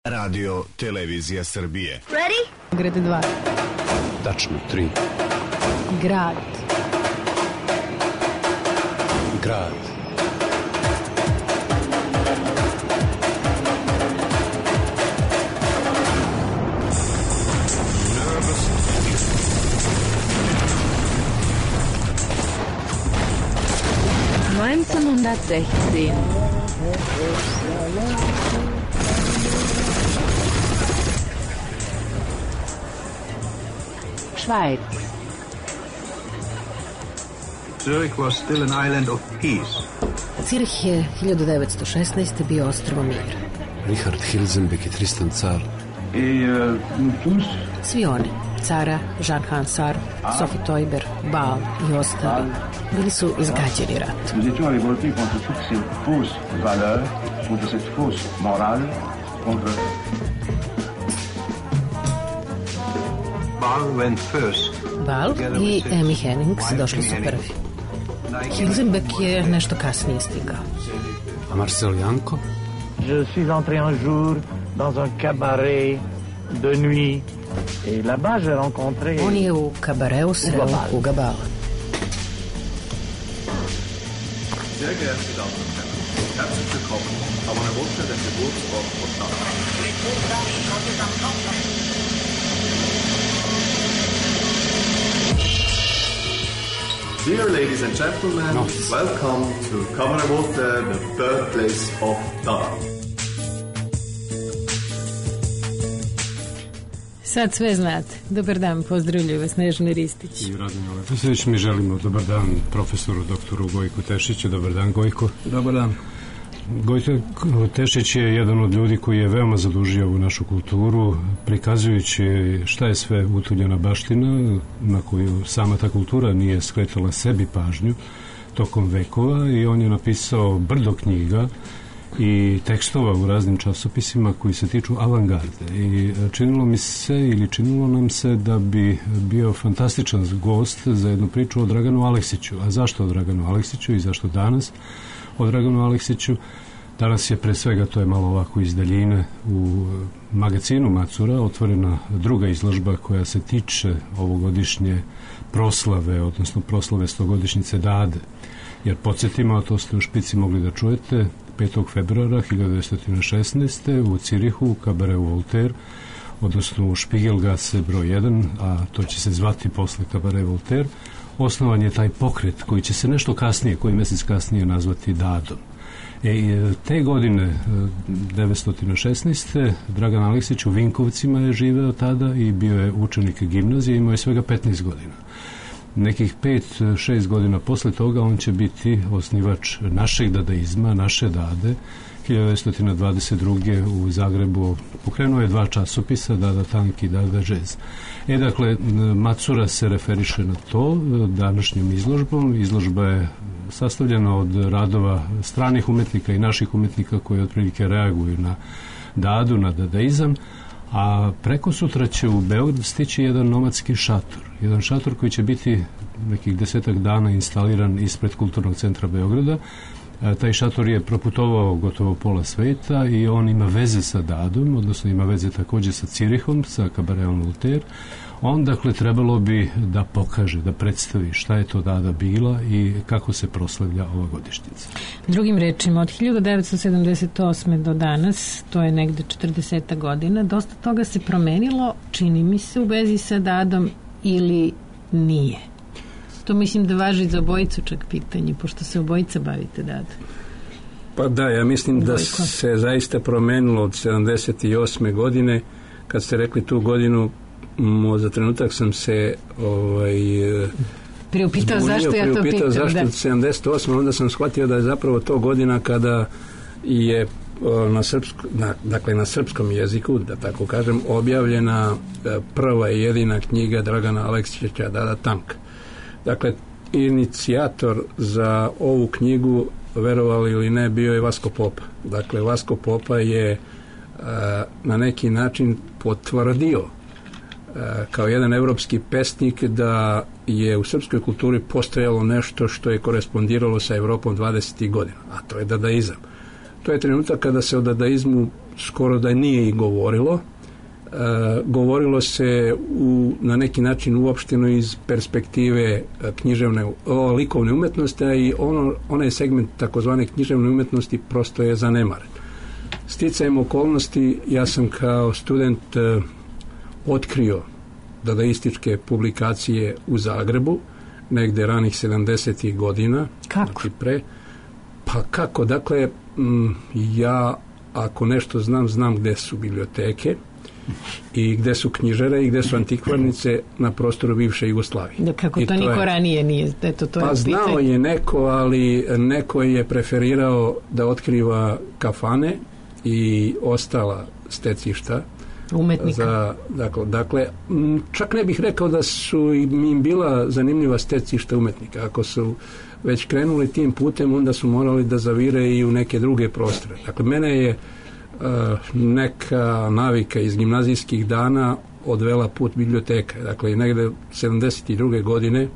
Radio Televizija Srbije. Ready? Grad 2. Tačno 3. Grad. Grad. Schweiz. Zurich was still an island of peace. Cirih je 1916. bio ostrvo mira. Richard Hilsenbeck i Tristan Car. Svi oni, Cara, Jean Hansard, Sophie Teuber, Ball i ostali, bili su izgađeni ratom. Nous étions révoltés contre toutes ces fausses valeurs, contre cette fausse morale, contre... Ball went first. Ball i Amy Hennings došli su prvi. Hilsenbeck je nešto kasnije stigao. A Marcel Janko? Je suis entré un jour dans un cabaret de nuit et là-bas j'ai rencontré... On je u kabareu sreo Huga Balla. Sehr geehrte Damen und Herren, herzlich willkommen auf einer Woche der Geburtstag von Tag. Dear ladies and gentlemen, welcome to Kammerrevolte, the birthplace of Dada. Sad sve znate. Dobar dan, pozdravljaju vas Nežna Ristić. I Radonja Leposević, mi želimo dobar dan profesoru doktoru Gojku Tešiću. Dobar dan, Gojko. Dobar dan. Gojko Tešić je jedan od ljudi koji je veoma zadužio u našu kulturu, prikazujući šta je sve utuljena baština na koju sama ta kultura nije skretala sebi pažnju tokom vekova, i on je napisao brdo knjiga i tekstova u raznim časopisima koji se tiču avangarde, i činilo nam se da bi bio fantastičan gost za jednu priču o Draganu Aleksiću. A zašto o Draganu Aleksiću i zašto danas o Draganu Aleksiću? Danas je pre svega, to je malo ovako iz daljine, u magazinu Macura otvorena druga izložba koja se tiče ovogodišnje proslave, odnosno proslave 100-godišnjice Dade. Jer podsjetimo, a to ste u špici mogli da čujete, 5. februara 1916. u Cirihu, u kabareu Voltaire, odnosno u Špigelgase broj 1, a to će se zvati posle kabare Voltaire, osnovan je taj pokret koji će se nešto kasnije, koji mesec kasnije nazvati Dadom. Te godine, 1916. Dragan Aleksić u Vinkovcima je živeo tada i bio je učenik gimnazije, imao je svega 15 godina. Nekih 5-6 godina posle toga on će biti osnivač našeg dadaizma, naše Dade. 1922. u Zagrebu pokrenuo je 2 časopisa, Dada Tank i Dada Jazz. Dakle, Macura se referiše na to današnjom izložbom. Izložba je sastavljena od radova stranih umetnika i naših umetnika koji otprilike reaguju na Dadu, na dadaizam, a preko sutra će u Beograd stići jedan nomadski šator. Jedan šator koji će biti nekih 10 dana instaliran ispred Kulturnog centra Beograda. Taj šator je proputovao gotovo pola sveta i on ima veze sa Dadom, odnosno ima veze takođe sa Cirihom, sa kabareom Voltaire. On, dakle, trebalo bi da pokaže, da predstavi šta je to Dada bila i kako se proslavlja ova godišnjica. Drugim rečima, od 1978. do danas, to je negde 40 godina, dosta toga se promenilo, čini mi se, u vezi sa Dadom, ili nije? To mislim da važi za obojicu čak pitanje, pošto se obojica bavite Dadom. Pa da, ja mislim da se zaista promenilo od 78. godine. Kad ste rekli tu godinu, za trenutak sam se priupitao zašto ja to pitam. Zašto 78. Onda sam shvatio da je zapravo to godina kada je na srpskom jeziku, da tako kažem, objavljena prva i jedina knjiga Dragana Aleksića, Dada Tank. Dakle, inicijator za ovu knjigu, verovali ili ne, bio je Vasko Popa. Dakle, Vasko Popa je na neki način potvrdio kao jedan evropski pesnik da je u srpskoj kulturi postojalo nešto što je korespondiralo sa Evropom 20. godina, a to je dadaizam. To je trenutak kada se o dadaizmu skoro da nije i govorilo. Govorilo se na neki način uopšteno iz perspektive likovne umetnosti, a i onaj segment takozvane književne umetnosti prosto je zanemaren. Sticajem okolnosti ja sam kao student otkrio dadaističke publikacije u Zagrebu, negde ranih 70. godina. Kako? Znači pa kako? Dakle, ja ako nešto znam gde su biblioteke i gde su knjižare i gde su antikvarnice na prostoru bivše Jugoslavije. Kako to niko ranije nije? Pa znao je neko, ali neko je preferirao da otkriva kafane i ostala stecišta umetnika. Dakle, čak ne bih rekao da su im bila zanimljiva stecišta umetnika. Ako su već krenuli tim putem, onda su morali da zavire i u neke druge prostore. Dakle, mene je neka navika iz gimnazijskih dana odvela put biblioteka. Dakle, negde 72. godine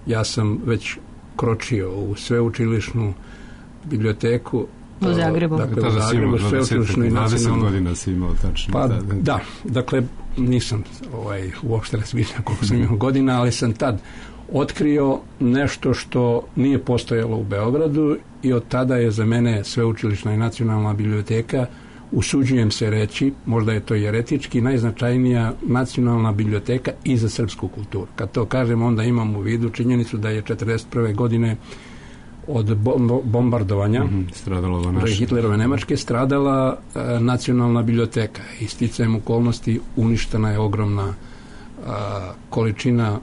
ja sam već kročio u sveučilišnu biblioteku u Zagrebu. Dakle, u Zagrebu, sveučilišnu i nacionalnu. 20 godina si imao tačno. Pa da, dakle, nisam uopšte razmišljao koliko sam imao godina, ali sam tad otkrio nešto što nije postojalo u Beogradu i od tada je za mene sveučilišna i nacionalna biblioteka, usuđujem se reći, možda je to jeretički, najznačajnija nacionalna biblioteka i za srpsku kulturu. Kad to kažem, onda imam u vidu činjenicu da je 1941. godine od bombardovanja Hitlerove Nemačke stradala nacionalna biblioteka i sticajem okolnosti uništena je ogromna količina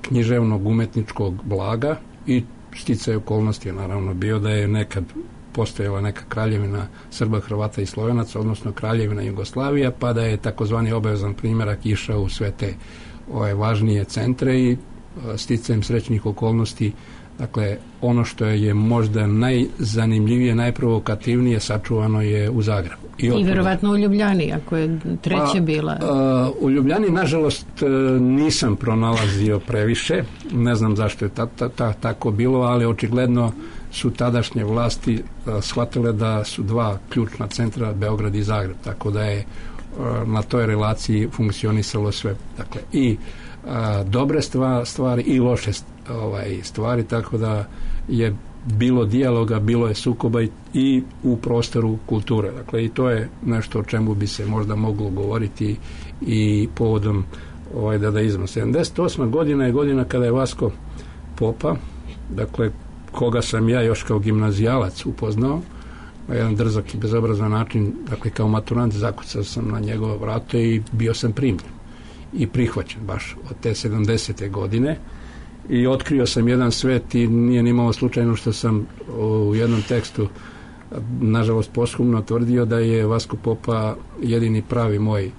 književnog umetničkog blaga i sticaj okolnosti je naravno bio da je nekad postojala neka kraljevina Srba, Hrvata i Slovenaca, odnosno kraljevina Jugoslavija, pa da je takozvani obavezan primjerak išao u sve te važnije centre i sticajem srećnih okolnosti, dakle, ono što je možda najzanimljivije, najprovokativnije sačuvano je u Zagrebu. I verovatno u Ljubljani, ako je treće bila. U Ljubljani, nažalost, nisam pronalazio previše. Ne znam zašto je tako bilo, ali očigledno su tadašnje vlasti shvatile da su dva ključna centra, Beograd i Zagreb, tako da je na toj relaciji funkcionisalo sve. Dakle, i dobre stvari i loše stvari, tako da je bilo dijaloga, bilo je sukoba i u prostoru kulture. Dakle, i to je nešto o čemu bi se možda moglo govoriti i povodom dadaizma. 78. godina je godina kada je Vasko Popa, dakle, koga sam ja još kao gimnazijalac upoznao, na jedan drzak i bezobrazan način, dakle, kao maturant zakucao sam na njegovo vrato i bio sam primljen i prihvaćen baš od te 70. godine i otkrio sam jedan svet i nije nimalo slučajno što sam u jednom tekstu nažalost posthumno tvrdio da je Vasko Popa jedini pravi moj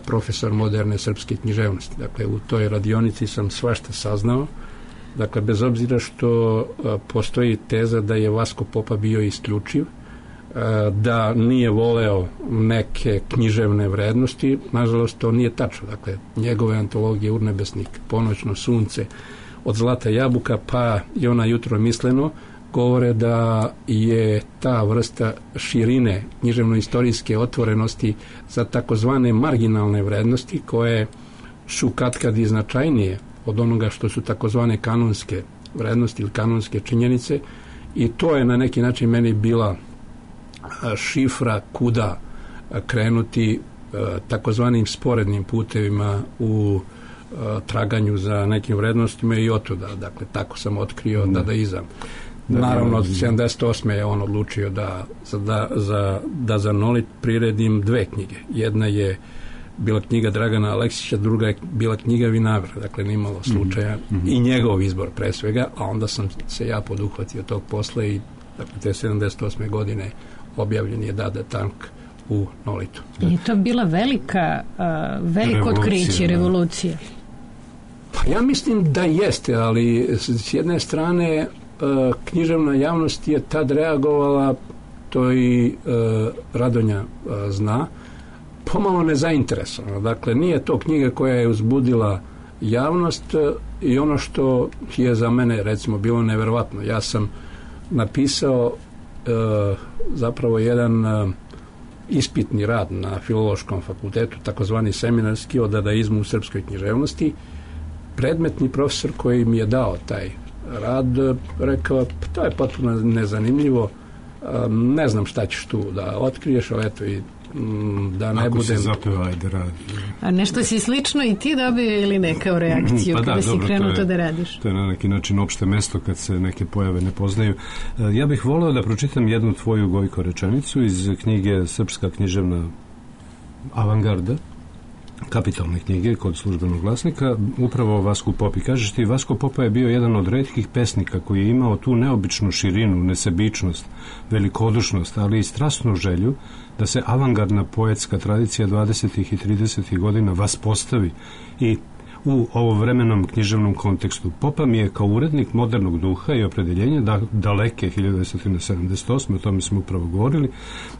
profesor moderne srpske književnosti. Dakle, u toj radionici sam svašta saznao. Dakle, bez obzira što postoji teza da je Vasko Popa bio isključiv, da nije voleo neke književne vrednosti, nažalost to nije tačno. Dakle, njegove antologije Urnebesnik, Ponoćno sunce, Od zlata jabuka pa i Ona jutro misleno govore da je ta vrsta širine književno-istorijske otvorenosti za takozvane marginalne vrednosti koje su katkad i značajnije od onoga što su takozvane kanonske vrednosti ili kanonske činjenice i to je na neki način meni bila šifra kuda krenuti takozvanim sporednim putevima u traganju za nekim vrednostima i otuda. Dakle, tako sam otkrio dadaizam. Naravno, od 78. je on odlučio da za Nolit priredim dve knjige. Jedna je bila knjiga Dragana Aleksića, druga je bila knjiga Vinagre. Dakle, nimalo slučaja i njegov izbor pre svega, a onda sam se ja poduhvatio tog posla i dakle, te 78. godine objavljen je Dada Tank u Nolitu. I to bila veliko otkriće, revolucija. Pa ja mislim da jeste, ali s jedne strane književna javnost je tad reagovala, to i Radonja zna, pomalo nezainteresovano. Dakle, nije to knjiga koja je uzbudila javnost i ono što je za mene recimo bilo neverovatno. Ja sam napisao zapravo jedan ispitni rad na Filološkom fakultetu, takozvani seminarski o dadaizmu u srpskoj književnosti. Predmetni profesor koji mi je dao taj rad rekao, to je potpuno nezanimljivo, ne znam šta ćeš tu da otkriješ, ali eto i da ne ako budem... se zapeva, ajde radi. A nešto si slično i ti dobio ili ne kao reakciju kada si krenuo to da radiš? To je na neki način opšte mesto kad se neke pojave ne poznaju. Ja bih voleo da pročitam jednu tvoju, Gojko, rečenicu iz knjige Srpska književna avangarda, kapitalne knjige kod Službenog glasnika, upravo o Vasku Popi. Kažeš ti, Vasko Popa je bio jedan od retkih pesnika koji je imao tu neobičnu širinu, nesebičnost, velikodušnost, ali i strasnu želju da se avangardna poetska tradicija 20. i 30. godina vaspostavi i u ovovremenom književnom kontekstu. Popa mi je kao urednik modernog duha i opredeljenja daleke 1978. o tome smo upravo govorili,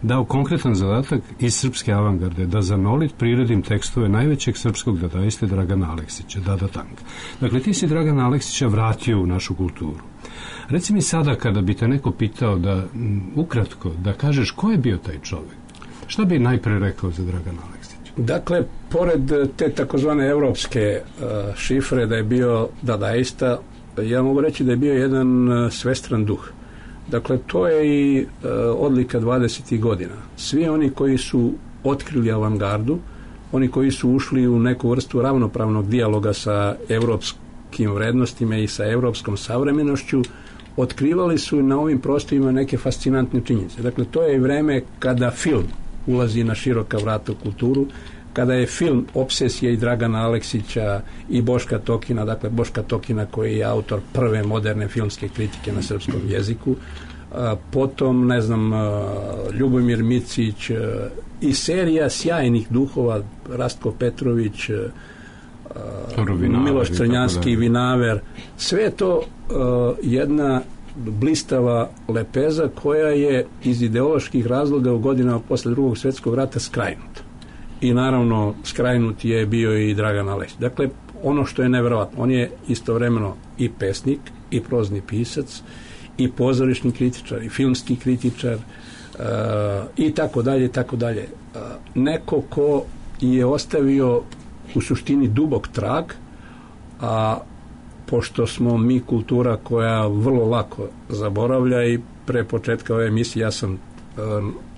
dao konkretan zadatak iz srpske avangarde da za nolit priredim tekstove najvećeg srpskog dadaiste Dragana Aleksića, Dada Tank. Dakle, ti si Dragana Aleksića vratio u našu kulturu. Reci mi sada, kada bi te neko pitao da, ukratko, da kažeš ko je bio taj čovjek, šta bi najpre rekao za Dragana Aleksića? Dakle, pored te takozvane evropske šifre da je bio dadaista, ja mogu reći da je bio jedan svestran duh. Dakle, to je i odlika 20. godina. Svi oni koji su otkrili avangardu, oni koji su ušli u neku vrstu ravnopravnog dijaloga sa evropskim vrednostima i sa evropskom savremenošću, otkrivali su na ovim prostorima neke fascinantne činjenice. Dakle, to je i vreme kada film ulazi na široka vrata u kulturu, kada je film obsesija i Dragana Aleksića i Boška Tokina, dakle Boška Tokina koji je autor prve moderne filmske kritike na srpskom jeziku, potom, ne znam, Ljubomir Micić i serija sjajnih duhova, Rastko Petrović, Miloš Crnjanski, Vinaver, sve je to jedna blistava lepeza koja je iz ideoloških razloga u godinama posle drugog svjetskog rata skrajnuta. I naravno skrajnut je bio i Dragan Aleksić. Dakle, ono što je neverovatno, on je istovremeno i pesnik, i prozni pisac, i pozorišni kritičar, i filmski kritičar, i tako dalje, i tako dalje. Neko ko je ostavio u suštini dubok trag, a pošto smo mi kultura koja vrlo lako zaboravlja i pre početka ove emisije ja sam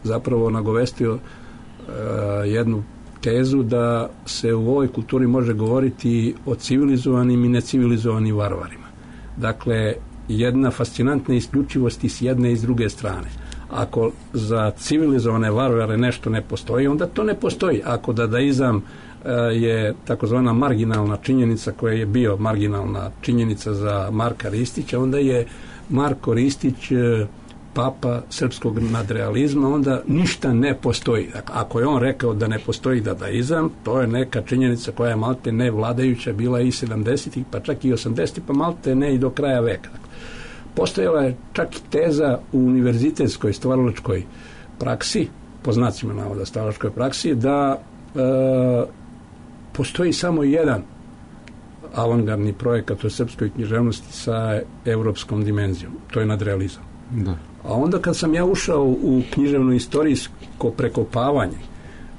zapravo nagovestio jednu tezu da se u ovoj kulturi može govoriti o civilizovanim i necivilizovanim varvarima. Dakle, jedna fascinantna isključivost i s jedne i s druge strane. Ako za civilizovane varvare nešto ne postoji, onda to ne postoji. Ako dadaizam je takozvana marginalna činjenica koja je bio marginalna činjenica za Marka Ristića, onda je Marko Ristić papa srpskog nadrealizma, onda ništa ne postoji. Dakle, ako je on rekao da ne postoji dadaizam, to je neka činjenica koja je malte ne vladajuća bila i 70-ih, pa čak i 80-ih, pa malte ne i do kraja veka. Dakle, postojala je čak i teza u univerzitetskoj stvaralačkoj praksi, po znacima navoda stvaralačkoj praksi, da postoji samo jedan avangardni projekat u srpskoj književnosti sa evropskom dimenzijom. To je nadrealizam. Da. A onda kad sam ja ušao u književno istorijsko prekopavanje,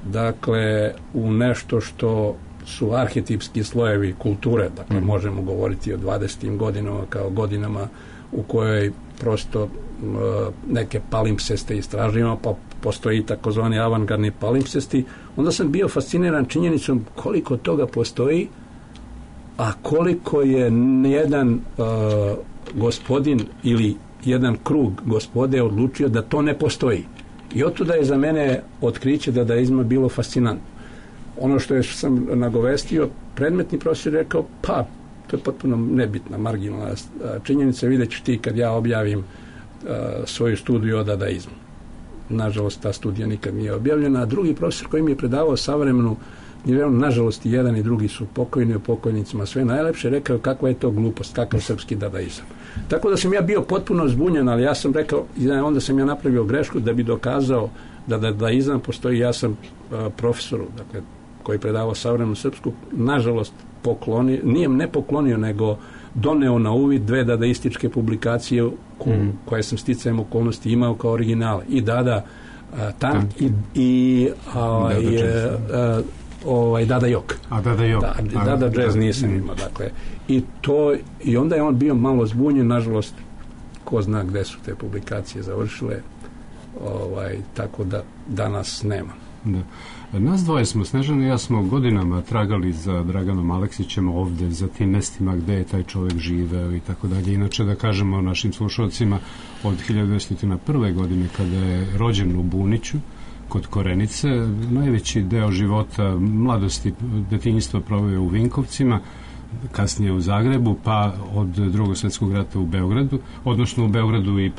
dakle u nešto što su arhetipski slojevi kulture, dakle možemo govoriti o 20. godinama kao godinama u kojoj prosto neke palimpseste istražujemo, pa postoji takozvani avangardni palimpsesti, onda sam bio fasciniran činjenicom koliko toga postoji, a koliko je jedan gospodin ili jedan krug gospode odlučio da to ne postoji. I otuda je za mene otkriće dadaizma bilo fascinantno. Ono što sam nagovestio, predmetni profesor rekao, pa to je potpuno nebitna, marginalna činjenica, vidjet ćeš ti kad ja objavim svoju studiju o dadaizmu. Nažalost, ta studija nikad nije objavljena, a drugi profesor koji mi je predavao savremenu, nažalost i jedan i drugi su pokojni, o pokojnicima sve najlepše, rekao kakva je to glupost, kakav srpski dadaizam. Tako da sam ja bio potpuno zbunjen, ali ja sam rekao, onda sam ja napravio grešku da bi dokazao da dadaizam postoji. Ja sam profesoru, dakle, koji predavao savremenu srpsku, nažalost poklonio, nije ne poklonio, nego doneo na uvid 2 dadaističke publikacije koje sam sticajem okolnosti imao kao originale. I Dada Tank i Dada Jok. A Dada Jok. Dada Jazz nisam imao, dakle. I onda je on bio malo zbunjen, nažalost, ko zna gde su te publikacije završile, tako da danas nema. Da. Nas dvoje smo, Snežana i ja, smo godinama tragali za Draganom Aleksićem ovde, za tim mestima gde je taj čovek živeo i tako dalje. Inače, da kažemo našim slušalcima, od 1901. godine, kada je rođen u Buniću, kod Korenice, najveći deo života, mladosti, detinjstva proveo u Vinkovcima, kasnije u Zagrebu, pa od Drugog svjetskog rata u Beogradu, odnosno u Beogradu i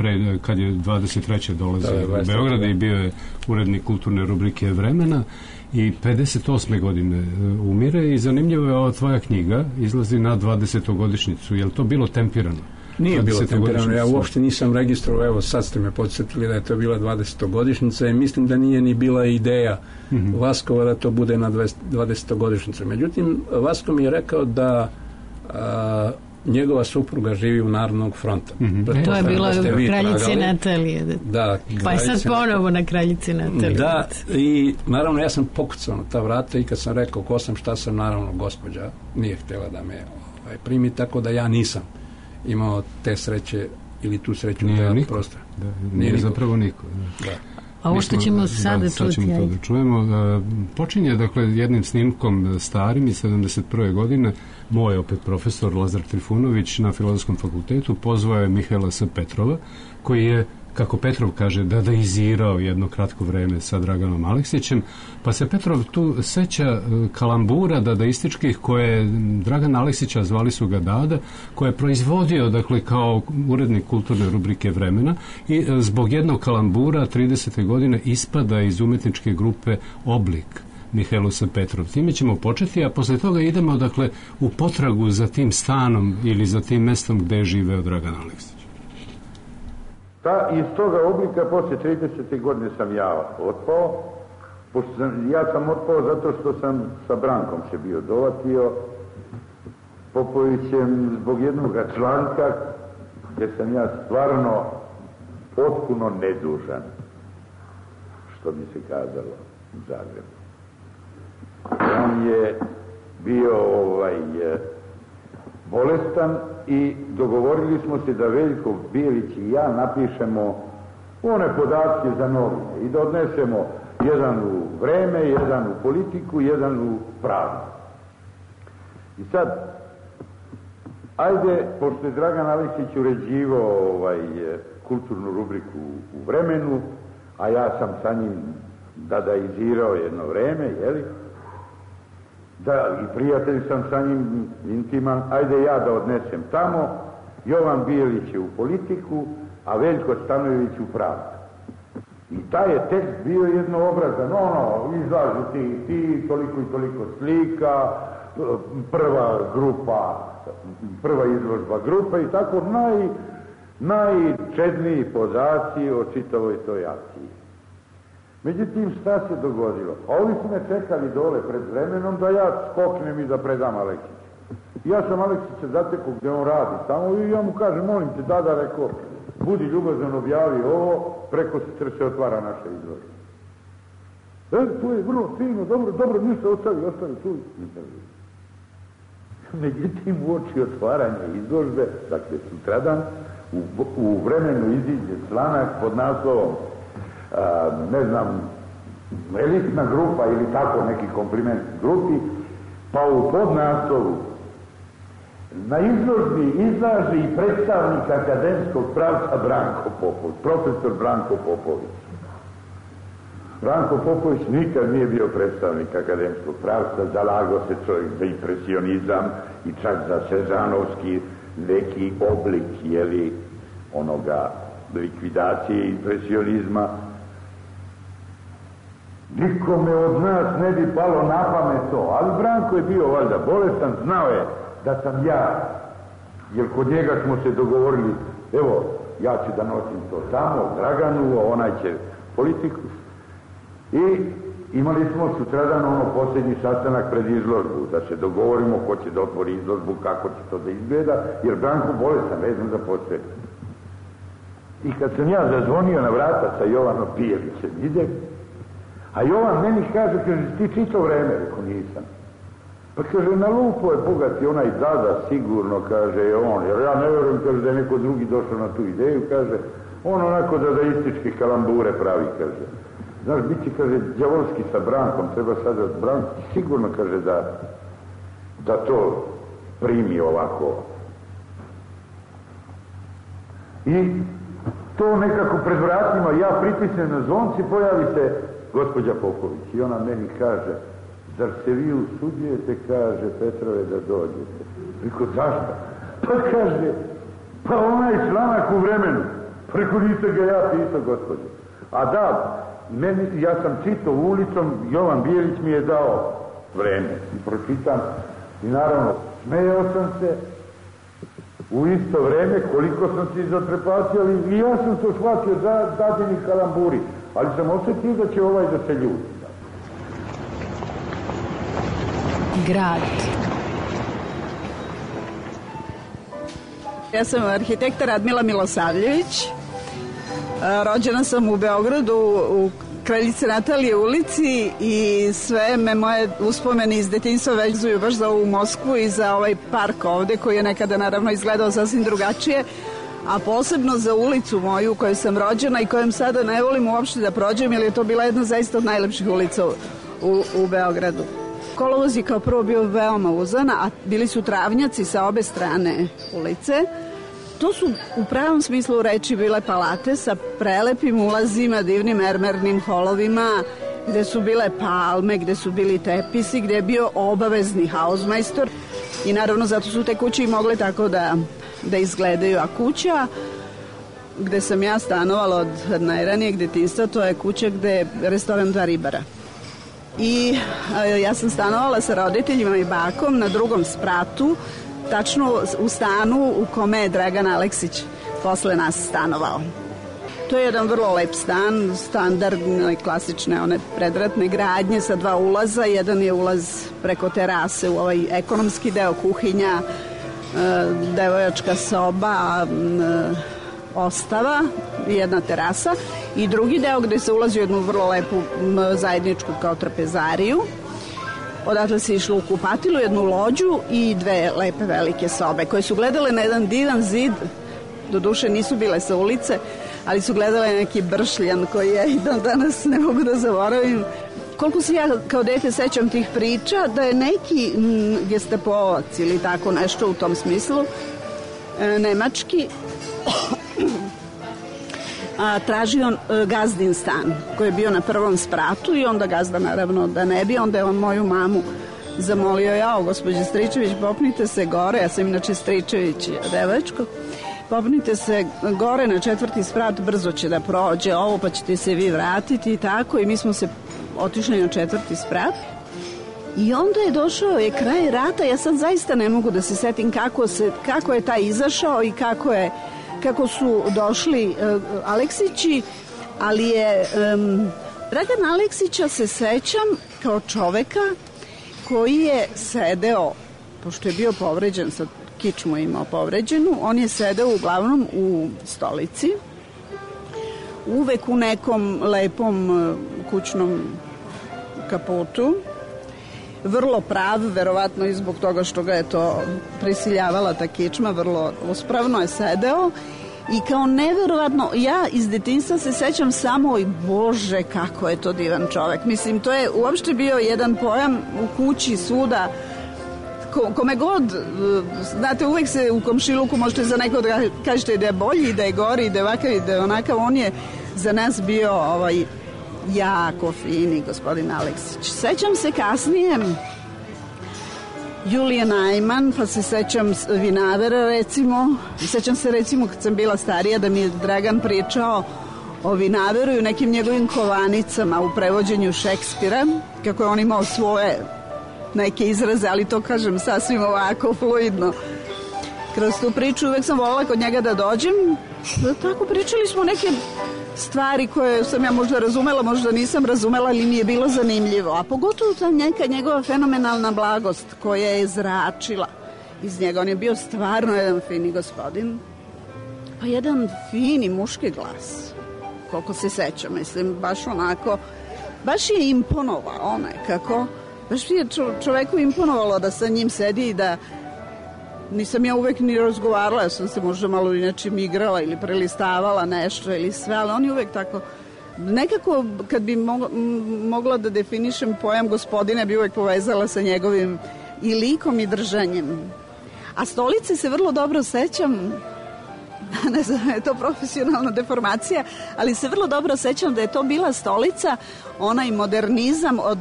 kad je 23. dolazio u Beograd i bio je urednik kulturne rubrike Vremena i 58. godine umire i zanimljivo je ova tvoja knjiga, izlazi na 20. Je li to bilo tempirano? Nije bilo tempirano, ja uopšte nisam registrovao, evo sad ste me podsjetili da je to bila 20. i mislim da nije ni bila ideja Vaskova da to bude na 20. Međutim, Vasko mi je rekao da njegova supruga živi u Narodnog fronta. To je bila kraljici Natalije. Da, pa je sad ponovo na kraljici Natalije. Da, i naravno ja sam pokucao na ta vrata i kad sam rekao ko sam, šta sam, naravno gospođa nije htjela da me primi, tako da ja nisam imao te sreće ili tu sreću da prostora. Nije zapravo niko. Da. A ovo što ćemo sada čuti? To da čujemo. Počinje, dakle, jednim snimkom starim iz 71. godine. Moj opet profesor Lazar Trifunović na Filozofskom fakultetu pozvao je Mihaela S. Petrova, koji je, kako Petrov kaže, dadaizirao jedno kratko vreme sa Draganom Aleksićem, pa se Petrov tu seća kalambura dadaističkih koje Dragan Aleksića, zvali su ga Dada, koje je proizvodio, dakle, kao urednik kulturne rubrike Vremena i zbog jednog kalambura 30. godine ispada iz umetničke grupe Oblik Mihaelu S. Petrov. Time ćemo početi, a posle toga idemo, dakle, u potragu za tim stanom ili za tim mestom gde je živeo Dragan Aleksić. Iz toga Oblika poslije 30. godine sam ja otpao. Ja sam otpao zato što sam sa Brankom se bio dovatio Popovićem zbog jednog članka gdje sam ja stvarno potpuno nedužan, što bi se kazalo u Zagrebu. On je bio bolestan i dogovorili smo se da Veljko Bijelić i ja napišemo one podatke za novine i da odnesemo jedan u Vreme, jedan u Politiku, jedan u Pravdu. I sad, ajde, pošto je Dragan Aleksić uređivao kulturnu rubriku u Vremenu, a ja sam sa njim dadaizirao jedno vreme, jeli? Da, i prijatelj sam sa njim intiman, ajde ja da odnesem tamo, Jovan Bijelić je u Politiku, a Veljko Stanojević u Pravdu. I taj je tekst bio jednoobrazan, izlažu ti, toliko i toliko slika, prva izložba grupa i tako najčedniji podaci o čitavoj toj akciji. Međutim, šta se dogodilo? A ovi su me čekali dole pred Vremenom da ja skoknem i da predam Aleksiću. Ja sam Aleksića zatekao gdje on radi tamo i ja mu kažem, molim te, Dada, rekao, budi ljubazan, objavi ovo, preko sutra se otvara naša izložba. To je vrlo fino, dobro, ništa ostavi tu. Međutim, u oči otvaranja izložbe, dakle sutradan, u Vremenu iziđe članak pod naslovom elitna grupa ili tako neki kompliment grupi, pa u podnaslovu na izložbi izlaže i predstavnik akademskog pravca Branko Popović, profesor Branko Popović. Branko Popović nikad nije bio predstavnik akademskog pravca, zalagao se čovjek za impresionizam i čak za sežanovski neki oblik, jeli, onoga likvidacije impresionizma. Nikome od nas ne bi palo na pamet to, ali Branko je bio valjda bolestan, znao je da sam ja, jer kod njega smo se dogovorili, evo, ja ću da nosim to tamo, Draganu, a onaj će Politiku. I imali smo sutradan posljednji sastanak pred izložbu, da se dogovorimo ko će da otvori izložbu, kako će to da izgleda, jer Branko bolestan, vezan za posljednje. I kad sam ja zazvonio na vrata sa Jovanom Bijelićem, idem, a Jovan meni kaže, ti čito vreme, reko nisam. Pa kaže, na lupo je bogati onaj Dada, sigurno, kaže, je on, jer ja ne vjerujem, kaže, da je neko drugi došao na tu ideju, kaže, on onako dadaističke kalambure pravi, kaže. Znaš, bit će, kaže, đavolski sa Brankom, treba sada Branko, sigurno, kaže, da to primi ovako. I to nekako pred vratima, ja pritisnem na zvonci, pojavi se gospođa Popović i ona meni kaže, zar se vi usuđujete, kaže, Petrove, da dođete? Preko, zašto? Pa kaže, pa onaj članak u Vremenu, preko nisam ga ja pisao, gospođe. A da, ja sam čitao ulicom, Jovan Bijelić mi je dao Vreme i pročitam i naravno smejao sam se u isto vreme koliko sam se izotrepatio i ja sam to shvatio dadini kalamburi, ali sam osjetio da će ovaj da se ljuti. Grad. Ja sam arhitekta Radmila Milosavljević. Rođena sam u Beogradu u Kraljice Natalije ulici i sve me moje uspomene iz detinjstva vezuju baš za ovu Moskvu i za ovaj park ovde koji je nekada naravno izgledao sasvim drugačije, a posebno za ulicu moju u kojoj sam rođena i kojom sada ne volim uopšte da prođem jer je to bila jedna zaista od najlepših ulica u Beogradu. Kolovoz je kao prvo bio veoma uzan, a bili su travnjaci sa obe strane ulice. To su u pravom smislu reči bile palate sa prelepim ulazima, divnim mermernim holovima, gde su bile palme, gde su bili tepisi, gde je bio obavezni hausmajstor i naravno zato su te kuće i mogle tako da izgledaju. A kuća gde sam ja stanovala od najranijeg detinjstva, to je kuća gde je restoran Dva ribara. I ja sam stanovala sa roditeljima i bakom na drugom spratu, tačno u stanu u kome je Dragan Aleksić posle nas stanovao. To je jedan vrlo lep stan, standardne, klasične, one predratne gradnje sa dva ulaza. Jedan je ulaz preko terase u ovaj ekonomski deo, kuhinja, devojačka soba, ostava, jedna terasa i drugi deo gde se ulazi u jednu vrlo lepu zajedničku kao trapezariju. Odatle se išlo u kupatilu, jednu lođu i dve lepe velike sobe koje su gledale na jedan divan zid, doduše nisu bile sa ulice, ali su gledale neki bršljan koji ja i dan danas ne mogu da zaboravim. Koliko se ja kao dete sećam tih priča, da je neki gestapovac ili tako nešto u tom smislu, nemački, tražio gazdin stan koji je bio na prvom spratu i onda gazda naravno da ne bi, onda je on moju mamu zamolio, jao gospođe Stričević, popnite se gore, ja sam inače Stričević devačko, popnite se gore na 4. sprat, brzo će da prođe ovo pa ćete se vi vratiti i tako, i mi smo se otišli na 4. sprat i onda je došao je kraj rata. Ja sad zaista ne mogu da se setim kako je taj izašao i kako su došli Aleksići, ali je Dragan Aleksića se sećam kao čoveka koji je sedeo, pošto je bio povređen, sad kičmu imao povređenu, on je sedeo uglavnom u stolici, uvek u nekom lepom kućnom kaputu, vrlo prav, verovatno i zbog toga što ga je to prisiljavala ta kičma, vrlo uspravno je sedeo i kao neverovatno, ja iz detinjstva se sećam samo i Bože kako je to divan čovek. Mislim, to je uopšte bio jedan pojam u kući svuda, kome god, znate, uvek se u komšiluku možete za neko da kažete da je bolji, da je gori, da je ovakav i da je onakav. On je za nas bio jako fini gospodin Aleksić. Sećam se kasnije Julije Najman, pa se sećam vinavera recimo. Sećam se recimo kad sam bila starija da mi je Dragan pričao o vinaveru i o nekim njegovim kovanicama u prevođenju Šekspira, kako je on imao svoje neke izraze, ali to kažem sasvim ovako fluidno. Kroz tu priču uvek sam volila kod njega da dođem. Tako pričali smo neke stvari koje sam ja možda razumela, možda nisam razumela, ali mi je bilo zanimljivo. A pogotovo ta neka njegova fenomenalna blagost koja je zračila iz njega. On je bio stvarno jedan fini gospodin. Pa jedan fini muški glas, koliko se sećam, mislim, baš onako, baš je imponovao nekako, baš je čoveku imponovalo da sa njim sedi i da nisam ja uvek ni razgovarala, ja sam se možda malo inače igrala ili prelistavala nešto ili sve, ali on je uvek tako, nekako kad bi mogla da definišem pojam gospodine, bi uvek povezala sa njegovim i likom i držanjem. A stolice se vrlo dobro sećam, ne znam, je to profesionalna deformacija, ali se vrlo dobro sećam da je to bila stolica, onaj modernizam od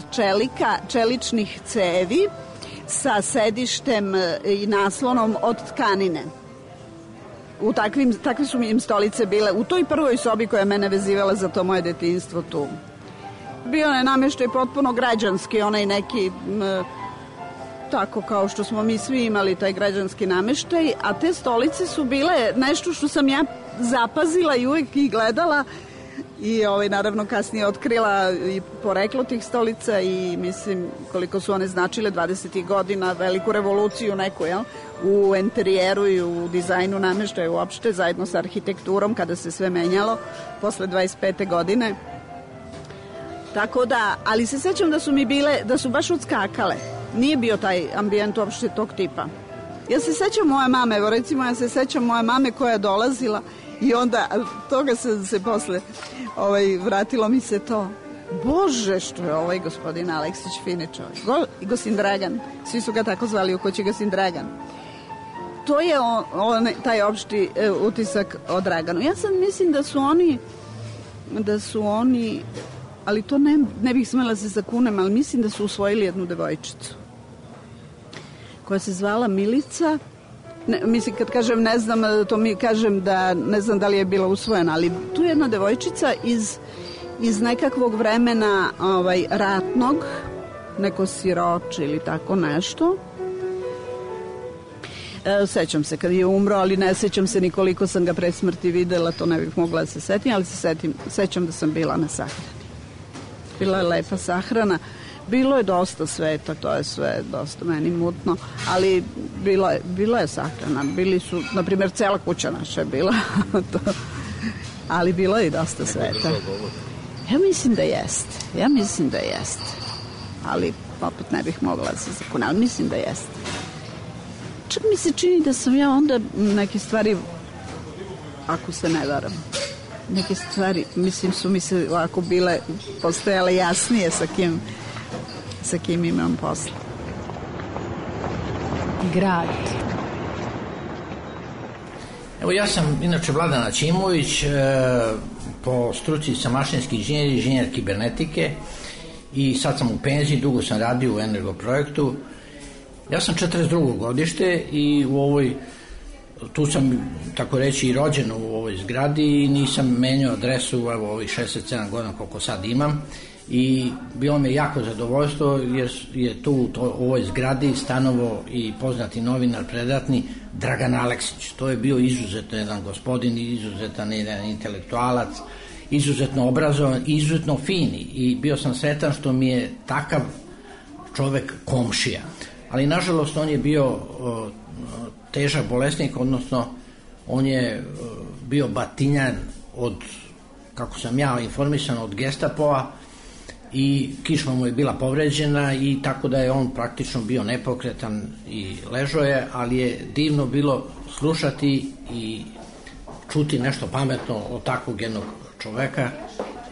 čeličnih cevi sa sedištem i naslonom od tkanine. Takve su mi im stolice bile u toj prvoj sobi koja je mene vezivala za to moje detinjstvo tu. Bio je namještaj potpuno građanski, onaj neki tako kao što smo mi svi imali taj građanski namještaj, a te stolice su bile nešto što sam ja zapazila i uvijek ih gledala i naravno kasnije otkrila i poreklo tih stolica i mislim koliko su one značile 20. godina, veliku revoluciju neku, jel? U interijeru i u dizajnu namještaja uopšte, zajedno sa arhitekturom kada se sve menjalo posle 25. godine. Tako da, ali se sećam da su mi bile, da su baš odskakale. Nije bio taj ambijent uopšte tog tipa. Ja se sećam moje mame, evo recimo ja se sećam moje mame koja je dolazila i onda toga se posle vratilo mi se to. Bože, što je ovaj gospodin Aleksić fini čovjek. I Gosin Dragan, svi su ga tako zvali u kući Gosin Dragan. To je taj opšti utisak o Draganu. Ja sad mislim da su oni, ali to ne bih smela se zakunem, ali mislim da su usvojili jednu devojčicu koja se zvala Milica. Mislim, kad kažem ne znam, to mi kažem da ne znam da li je bila usvojena, ali tu je jedna devojčica iz nekakvog vremena ratnog, neko siroče ili tako nešto. Sećam se kad je umro, ali ne sećam se ni koliko sam ga pre smrti videla, to ne bih mogla da se setim, ali sećam da sam bila na sahrani. Bila je lepa sahrana, bilo je dosta sveta, to je sve dosta meni mutno, ali bila je sahrana, bili su, na primjer, cela kuća naša je bila, ali bilo je i dosta sveta. Ja mislim da jeste, ali opet ne bih mogla da se zakunem, ali mislim da jeste. Čak mi se čini da sam ja onda neke stvari, ako se ne varam, neke stvari, mislim, su mi se ovako postojale jasnije sa kim imam posla. Grad. Evo, ja sam inače Vladan Aćimović, po struci sam mašinski inženjer kibernetike i sad sam u penziji, dugo sam radio u Energoprojektu. Ja sam 42. godište i tu sam, tako reći, i rođen u ovoj zgradi i nisam menjao adresu ovih 67 godina koliko sad imam i bilo mi jako zadovoljstvo jer je tu u ovoj zgradi stanovo i poznati novinar predatni Dragan Aleksić. To je bio izuzetno jedan gospodin, izuzetan jedan intelektualac, izuzetno obrazovan, izuzetno fini i bio sam sretan što mi je takav čovek komšija. Ali nažalost on je bio težak bolesnik, odnosno on je bio batinjan od, kako sam ja informisan, od Gestapoa i kičma mu je bila povređena i tako da je on praktično bio nepokretan i ležao je, ali je divno bilo slušati i čuti nešto pametno od takvog jednog čoveka.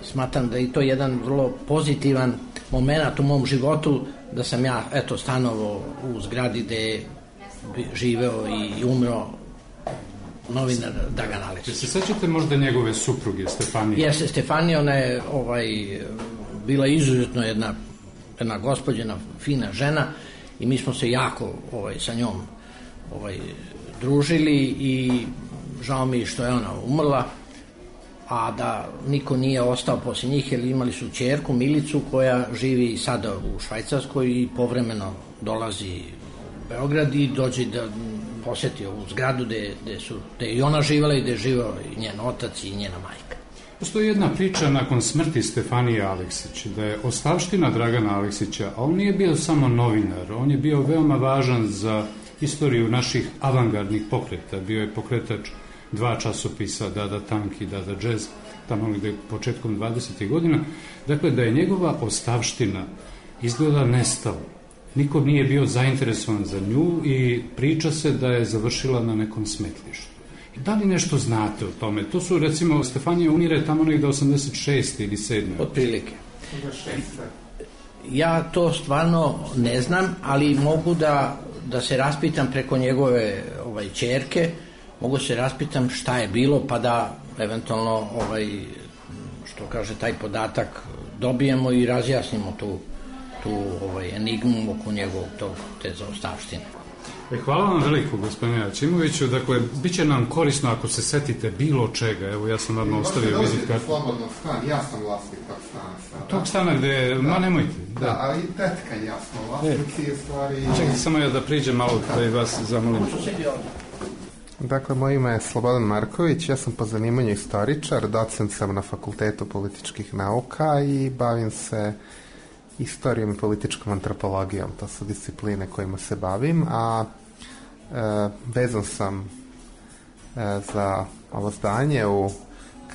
Smatram da je to jedan vrlo pozitivan moment u mom životu, da sam ja stanovao u zgradi gde je živeo i umro novinar Dragan Aleksić. Se sećate možda njegove supruge Stefanije? Jeste, Stefanija, ona je bila izuzetno jedna gospođena, fina žena i mi smo se jako sa njom družili i žao mi što je ona umrla, a da niko nije ostao poslije njih, jer imali su ćerku Milicu koja živi sada u Švajcarskoj i povremeno dolazi u Beograd i dođe da posjeti ovu zgradu gde je i ona živjela i gde je živao i njen otac i njena majka. Postoji jedna priča nakon smrti Stefanije Aleksić, da je ostavština Dragana Aleksića, a on nije bio samo novinar, on je bio veoma važan za istoriju naših avangardnih pokreta, bio je pokretač 2 časopisa, Dada Tank i Dada Jazz, tamo negde početkom 20. godina. Dakle, da je njegova ostavština izgleda nestala. Niko nije bio zainteresovan za nju i priča se da je završila na nekom smetlištu. Da li nešto znate o tome? To su, recimo, Stefanija umire tamo negde 86. ili 7. Otprilike. Ja to stvarno ne znam, ali mogu da se raspitam preko njegove ćerke, mogu se raspitam šta je bilo, pa da eventualno, što kaže, taj podatak dobijemo i razjasnimo tu enigmu oko njegovog te zaostavštine. Hvala vam veliko, gospodine Aćimoviću. Dakle, bit će nam korisno ako se setite bilo čega. Evo, ja sam vam ostavio vizit kartu. Slobodno stan, ja sam vlasnik tog stana. Tog stana gde, nemojte. Da, ali i tetka i ja smo vlasnici je stvari... Čekajte samo ja da priđem malo da i vas zamolim. Dakle, moje ime je Slobodan Marković, ja sam po zanimanju istoričar, docent sam na Fakultetu političkih nauka i bavim se istorijom i političkom antropologijom. To su discipline kojima se bavim, a vezan sam za ovo zdanje u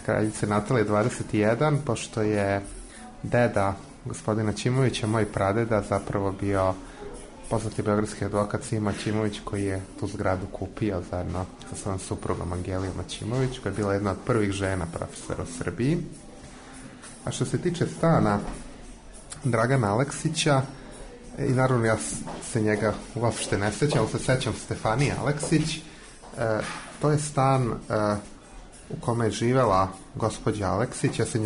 Kraljice Natalije 21, pošto je deda gospodina Ćimovića, moj pradeda, zapravo bio poznati beogradski advokat Sima Ćimović, koji je tu zgradu kupio zajedno sa svojom suprugom Angelijom Ćimović, koja je bila jedna od prvih žena profesora u Srbiji. A što se tiče stana Dragana Aleksića, i naravno ja se njega uopšte ne sećam, se sećam Stefanije Aleksić, to je stan u kome je živela gospođa Aleksić, ja se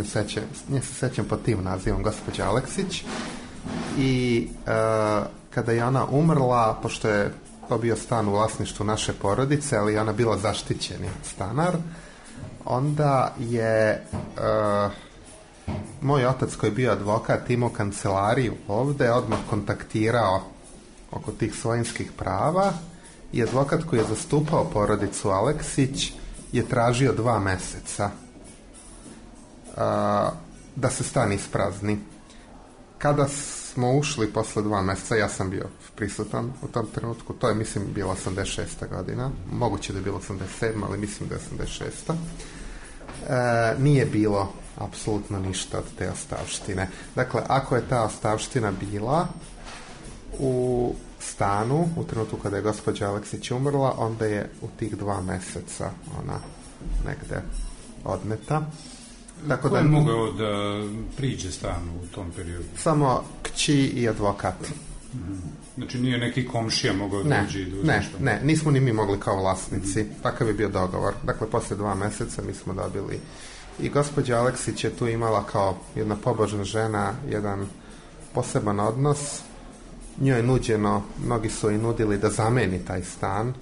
nje se sećam pod tim nazivom gospođa Aleksić, i kada je ona umrla, pošto je to bio stan u vlasništvu naše porodice, ali je ona bila zaštićeni stanar, onda je moj otac, koji je bio advokat, imao kancelariju ovde, odmah kontaktirao oko tih svojinskih prava, i advokat koji je zastupao porodicu Aleksić je tražio 2 meseca da se stan isprazni. Kada smo ušli posle 2 meseca, ja sam bio prisutan u tom trenutku, to je, mislim, bila 86. godina, moguće da je bilo 87. ali mislim da je 86. Nije bilo apsolutno ništa od te ostavštine. Dakle, ako je ta ostavština bila u stanu u trenutku kada je gospođa Aleksić umrla, onda je u tih 2 meseca ona negde odneta. Tako ko je mogao da priđe stanu u tom periodu? Samo kći i advokat. Znači nije neki komšija mogao da uđe i da uzme što? Ne, nismo ni mi mogli kao vlasnici. Takav je bio dogovor. Dakle, posle 2 meseca mi smo dobili. I gospođa Aleksić je tu imala kao jedna pobožna žena jedan poseban odnos. Njoj je nuđeno, mnogi su i nudili da zameni taj stan,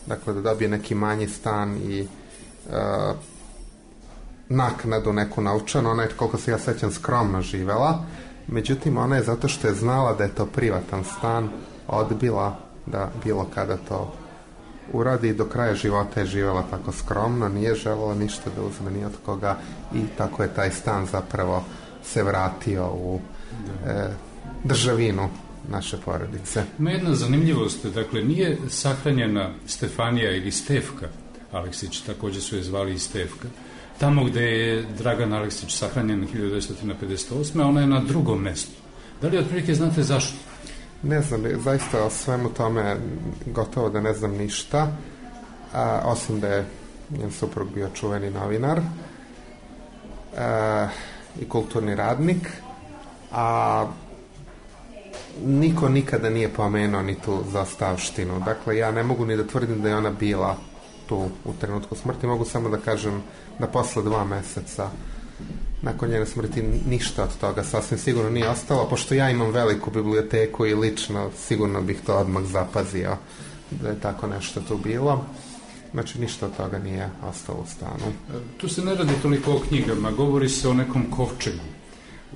dakle da dobije neki manji stan i naknadu neku naučanu. Ona je, koliko se ja sećam, skromno živela, međutim ona je, zato što je znala da je to privatan stan, odbila da bilo kada to uradi i do kraja života je živela tako skromno, nije želela ništa da uzme ni od koga i tako je taj stan zapravo se vratio u državinu naše porodice. Ima jedna zanimljivost, dakle nije sahranjena Stefanija ili Stefka Aleksić, također su je zvali i Stefka, tamo gde je Dragan Aleksić sahranjen 1958. ona je na drugom mestu. Da li otprilike znate zašto? Ne znam, zaista o svemu tome gotovo da ne znam ništa, osim da je njen suprug bio čuveni novinar i kulturni radnik, a niko nikada nije pomenuo ni tu zaostavštinu. Dakle, ja ne mogu ni da tvrdim da je ona bila tu u trenutku smrti, mogu samo da kažem da posle 2 meseca nakon njene smrti ništa od toga sasvim sigurno nije ostalo, pošto ja imam veliku biblioteku i lično sigurno bih to odmah zapazio da je tako nešto tu bilo. Znači ništa od toga nije ostalo u stanu. Tu se ne radi toliko o knjigama, govori se o nekom kovčegu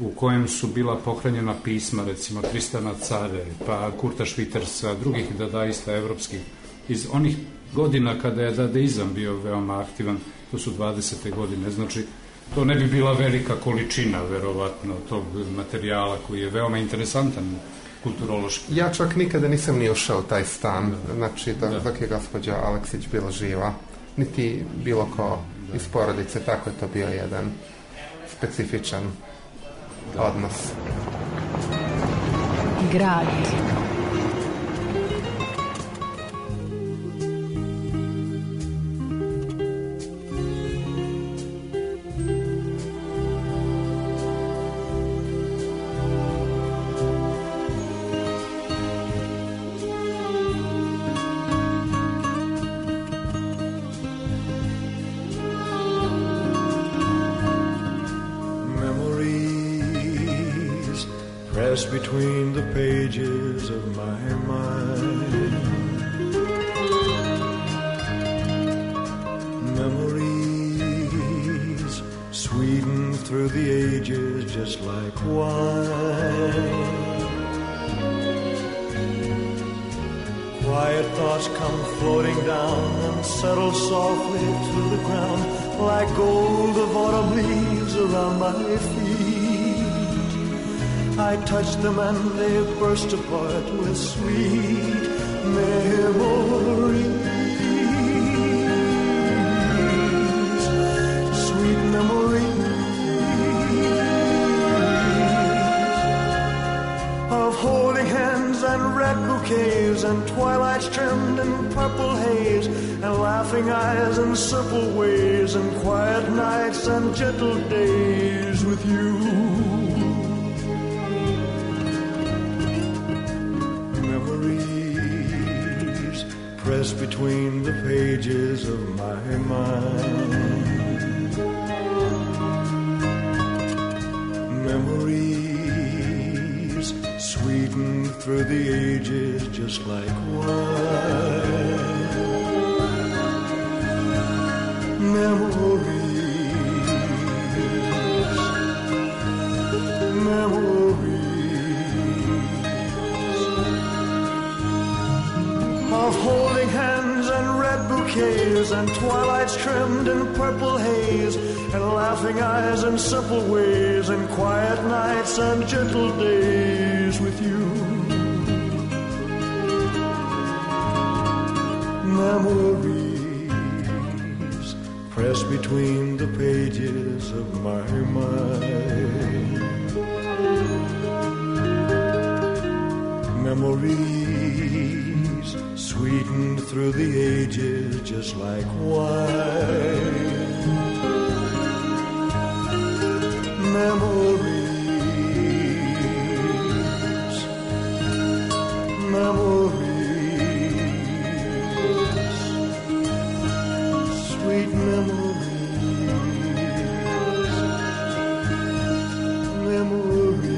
u kojem su bila pohranjena pisma, recimo Tristana Care, pa Kurta Švitersa, drugih dadaista evropskih, iz onih godina kada je dadaizam bio veoma aktivan, to su 20. godine, znači to ne bi bila velika količina, verovatno, tog materijala koji je veoma interesantan kulturološki. Ja čak nikada nisam ni ušao u taj stan, znači dok je gospođa Aleksić bila živa. niti bilo ko iz porodice, tako je to bio jedan specifičan odnos. Grad. Between the pages of my mind, memories sweeten through the ages just like wine. Quiet thoughts come floating down and settle softly to the ground like gold of autumn leaves around my feet. I touch them and they burst apart with sweet memories. Sweet memories of holding hands and red bouquets and twilights trimmed in purple haze and laughing eyes and simple ways and quiet nights and gentle days with you. Press between the pages of my mind. Memories sweeten through the ages just like wine. Memories, of holding hands and red bouquets and twilights trimmed in purple haze and laughing eyes and simple ways and quiet nights and gentle days with you. Memories press between the pages of my mind. Memories sweetened through the ages just like wine. Memories, memories, sweet memories, memories.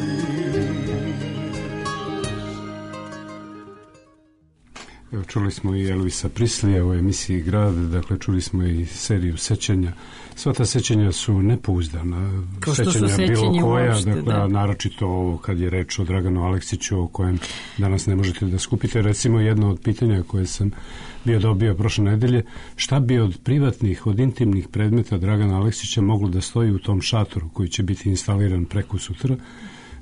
Čuli smo i Elvisa Prislija u emisiji Grad, dakle čuli smo i seriju sećanja. Sva ta sećanja su nepouzdana. Sećanja bilo koja, uopšte, dakle, da. Naročito ovo kad je reč o Draganu Aleksiću, o kojem danas ne možete da skupite. Recimo jedno od pitanja koje sam dobio prošle nedelje, šta bi od privatnih, od intimnih predmeta Dragana Aleksića moglo da stoji u tom šatoru koji će biti instaliran preko sutra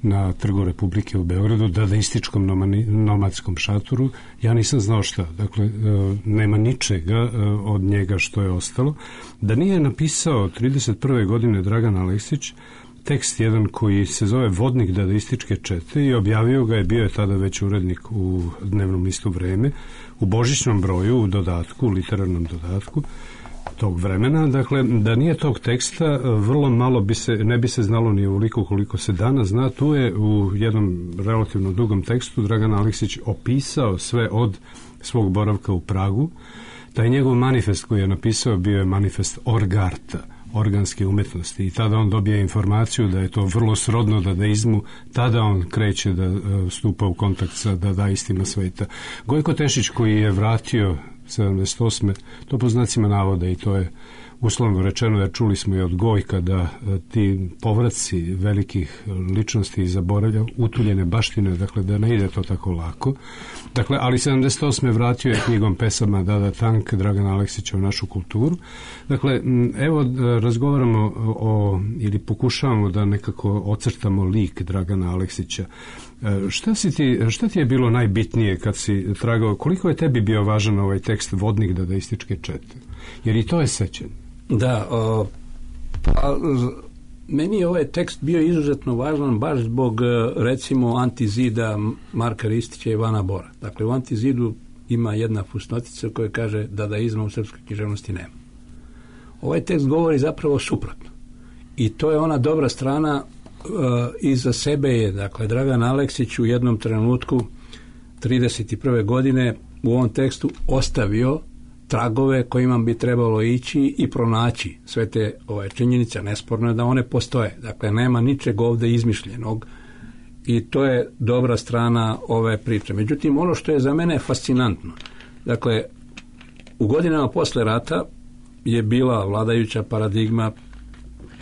na Trgu Republike u Beogradu, dadaističkom nomadskom šatoru. Ja nisam znao šta. Dakle, nema ničega od njega što je ostalo. Da nije napisao 31. godine Dragan Aleksić tekst jedan koji se zove Vodnik dadaističke čete i objavio ga je, bio je tada već urednik u dnevnom listu Vreme, u božićnom broju, u dodatku, u literarnom dodatku tog vremena. Dakle, da nije tog teksta, vrlo malo ne bi se znalo ni ovoliko koliko se danas zna. Tu je u jednom relativno dugom tekstu Dragan Aleksić opisao sve od svog boravka u Pragu. Taj njegov manifest koji je napisao bio je manifest orgarta, organske umetnosti, i tada on dobije informaciju da je to vrlo srodno dadaizmu, tada on kreće da stupa u kontakt sa dadaistima sveta. Gojko Tešić, koji je vratio 78. to po znacima navoda, i to je uslovno rečeno, jer čuli smo i od Gojka da ti povraci velikih ličnosti i zaboravlja utuljene baštine, dakle da ne ide to tako lako. Dakle, ali 78. vratio je knjigom pesama Dada Tank Dragana Aleksića u našu kulturu. Dakle, evo razgovaramo ili pokušavamo da nekako ocrtamo lik Dragana Aleksića. Šta ti je bilo najbitnije kad si tragao, koliko je tebi bio važan ovaj tekst Vodnik dadaističke čete? Jer i to je sećanje. Da, meni je ovaj tekst bio izuzetno važan baš zbog, recimo, Antizida Marka Ristića i Ivana Bora. Dakle, u Antizidu ima jedna fusnotica koja kaže dadaizma u srpskoj književnosti nema. Ovaj tekst govori zapravo suprotno. I to je ona dobra strana. Iza sebe je, dakle, Dragan Aleksić u jednom trenutku 31. godine u ovom tekstu ostavio tragove kojima bi trebalo ići i pronaći sve te činjenice. Nesporno je da one postoje. Dakle, nema ničeg ovde izmišljenog i to je dobra strana ove priče. Međutim, ono što je za mene fascinantno, dakle, u godinama posle rata je bila vladajuća paradigma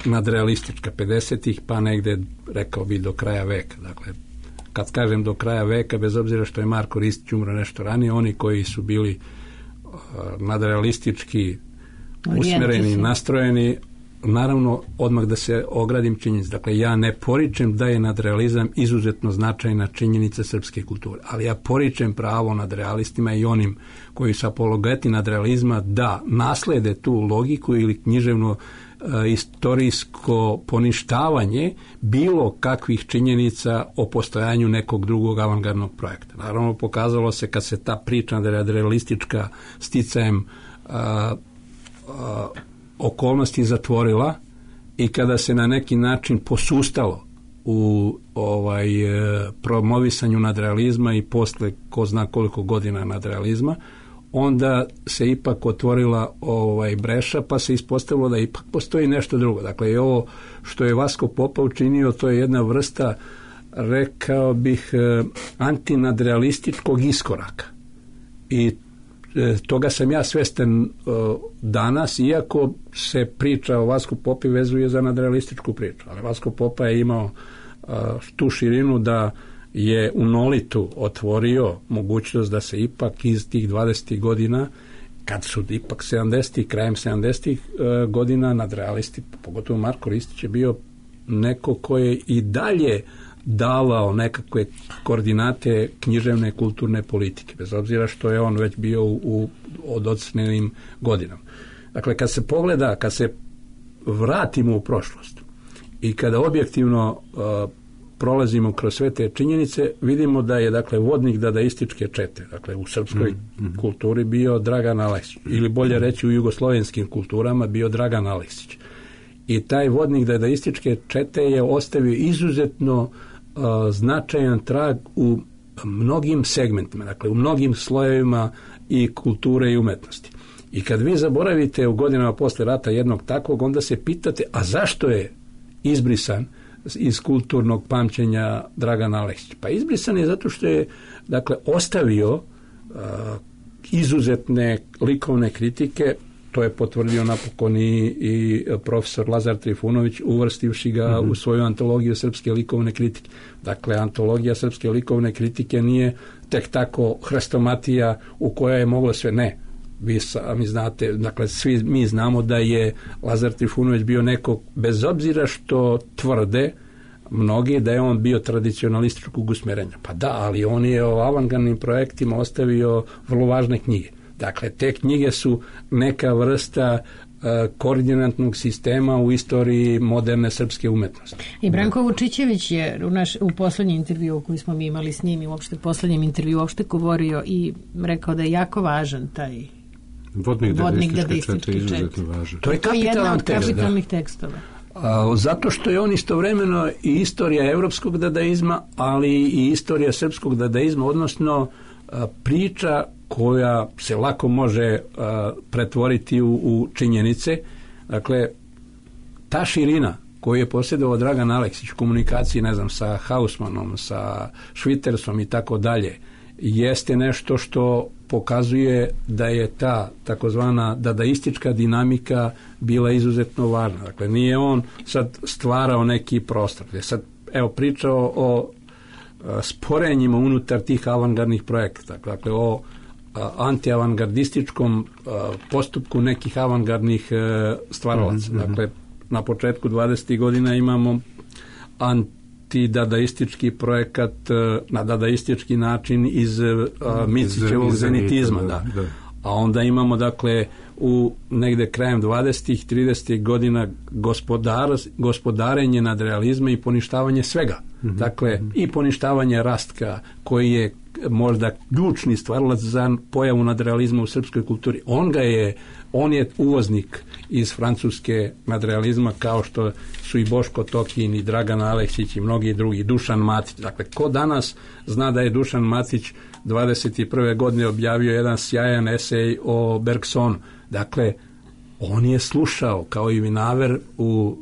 nadrealistička 50-ih, pa negde, rekao bi, do kraja veka. Dakle, kad kažem do kraja veka, bez obzira što je Marko Ristić umro nešto ranije, oni koji su bili nadrealistički usmereni, nastrojeni, naravno, odmah da se ogradim činjenic. Dakle, ja ne poričem da je nadrealizam izuzetno značajna činjenica srpske kulture, ali ja poričem pravo nadrealistima i onim koji su apologeti nadrealizma da naslede tu logiku ili književno istorijsko poništavanje bilo kakvih činjenica o postojanju nekog drugog avangardnog projekta. Naravno, pokazalo se kad se ta priča nadrealistička sticajem okolnosti zatvorila i kada se na neki način posustalo u promovisanju nadrealizma i posle ko zna koliko godina nadrealizma, onda se ipak otvorila breša, pa se ispostavilo da ipak postoji nešto drugo. Dakle, i ovo što je Vasko Popa učinio, to je jedna vrsta, rekao bih, antinadrealističkog iskoraka. I toga sam ja svestan danas, iako se priča o Vasku Popi vezuje za nadrealističku priču. Ali Vasko Popa je imao tu širinu da je u Nolitu otvorio mogućnost da se ipak iz tih 20. godina, kad su ipak 70. krajem 70. godina nadrealisti, pogotovo Marko Ristić je bio neko ko je i dalje davao nekakve koordinate književne kulturne politike, bez obzira što je on već bio u odocnenim godinama. Dakle, kad se pogleda, kad se vratimo u prošlost i kada objektivno prolazimo kroz sve te činjenice, vidimo da je, dakle, vodnik dadaističke čete, dakle, u srpskoj kulturi bio Dragan Aleksić, ili bolje reći u jugoslovenskim kulturama bio Dragan Aleksić. I taj vodnik dadaističke čete je ostavio izuzetno značajan trag u mnogim segmentima, dakle, u mnogim slojevima i kulture i umetnosti. I kad vi zaboravite u godinama posle rata jednog takvog, onda se pitate, a zašto je izbrisan iz kulturnog pamćenja Dragan Aleksić? Pa izbrisan je zato što je, dakle, ostavio izuzetne likovne kritike. To je potvrdio napokon i profesor Lazar Trifunović, uvrstivši ga u svoju antologiju srpske likovne kritike. Dakle, antologija srpske likovne kritike nije tek tako hrestomatija u kojoj je moglo sve. Ne. Vi sami znate, dakle, svi mi znamo da je Lazar Trifunović bio neko, bez obzira što tvrde mnogi da je on bio tradicionalističkog usmjerenja. Pa da, ali on je o avangardnim projektima ostavio vrlo važne knjige. Dakle, te knjige su neka vrsta koordinatnog sistema u istoriji moderne srpske umetnosti. I Branko Vučićević je u poslednjem intervju koji smo mi imali s njim i uopšte poslednjem intervju uopšte govorio i rekao da je jako važan taj vodnik dadaističke čete. To je jedan od kapitalnih tekstova. Zato što je on istovremeno i istorija evropskog dadaizma, ali i istorija srpskog dadaizma, odnosno priča koja se lako može pretvoriti u činjenice. Dakle, ta širina koju je posjedovao Dragan Aleksić u komunikaciji, ne znam, sa Hausmanom, sa Švitersom i tako dalje, jeste nešto što pokazuje da je ta takozvana dadaistička dinamika bila izuzetno važna. Dakle, nije on sad stvarao neki prostor. Sad, evo, pričao o sporenjima unutar tih avangardnih projekata. Dakle, o antiavangardističkom postupku nekih avangardnih stvaralaca. Dakle, na početku 20. godina imamo antidadaistički projekat na dadaistički način iz Micićevog zenitizma. A onda imamo, dakle, u negde krajem 20. 30. godina gospodarenje nadrealizma i poništavanje svega. Dakle, i poništavanje Rastka, koji je možda ključni stvarilac za pojavu nadrealizma u srpskoj kulturi. On je uvoznik iz francuske nadrealizma, kao što su i Boško Tokin i Dragan Aleksić i mnogi drugi, Dušan Matić. Dakle, ko danas zna da je Dušan Matić 21. godine objavio jedan sjajan esej o Bergsonu. Dakle, on je slušao, kao i Vinaver u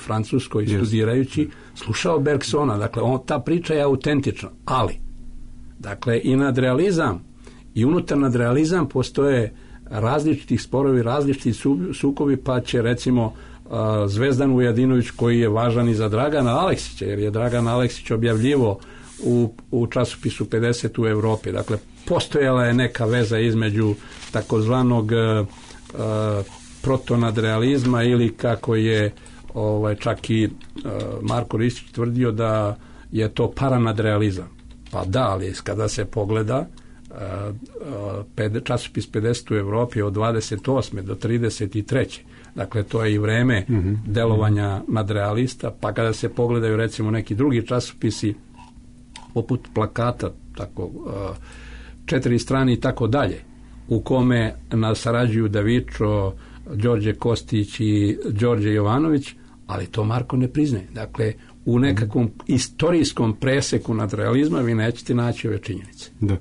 Francuskoj studirajući, slušao Bergsona. Dakle, ta priča je autentična, ali dakle, i nadrealizam i unutar nadrealizam postoje različitih sporovi, različiti sukobi, pa će recimo Zvezdan Vujadinović, koji je važan i za Dragana Aleksića, jer je Dragan Aleksić objavljivo u časopisu 50 u Evropi. Dakle, postojala je neka veza između takozvanog protonadrealizma, ili kako je čak i Marko Ristić tvrdio da je to paranadrealizam. Pa da, ali kada se pogleda časopis 50 u Evropi od 28. do 33. Dakle, to je i vreme delovanja nadrealista, pa kada se pogledaju recimo neki drugi časopisi poput Plakata, tako 4 strane i tako dalje, u kome nas sarađuju Davičo, Đorđe Kostić i Đorđe Jovanović, ali to Marko ne priznaje. Dakle, u nekakvom istorijskom preseku nadrealizma vi nećete naći ove činjenice. Da.